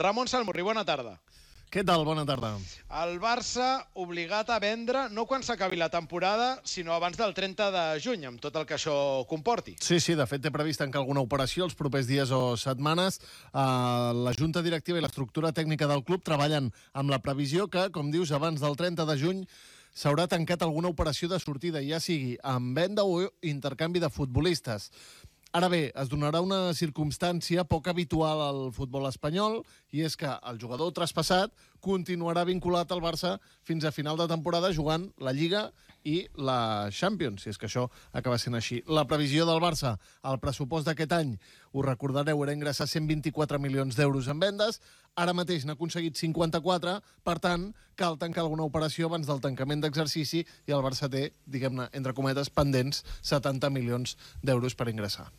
Ramon Salmurri, bona tarda. Què tal? Bona tarda. El Barça obligat a vendre no quan s'acabi la temporada, sinó abans del 30 de juny, amb tot el que això comporti. Sí, de fet té previst tancar alguna operació els propers dies o setmanes. La Junta Directiva i l'estructura tècnica del club treballen amb la previsió que, com dius, abans del 30 de juny s'haurà tancat alguna operació de sortida, ja sigui amb venda o intercanvi de futbolistes. Ara bé, es donarà una circumstància poc habitual al futbol espanyol, i és que el jugador traspassat continuarà vinculat al Barça fins a final de temporada jugant la Lliga i la Champions, si és que això acaba sent així. La previsió del Barça, el pressupost d'aquest any, ho recordareu, era ingressar 124 milions d'euros en vendes, ara mateix n'ha aconseguit 54, per tant, cal tancar alguna operació abans del tancament d'exercici i el Barça té, diguem-ne, entre cometes, pendents 70 milions d'euros per ingressar.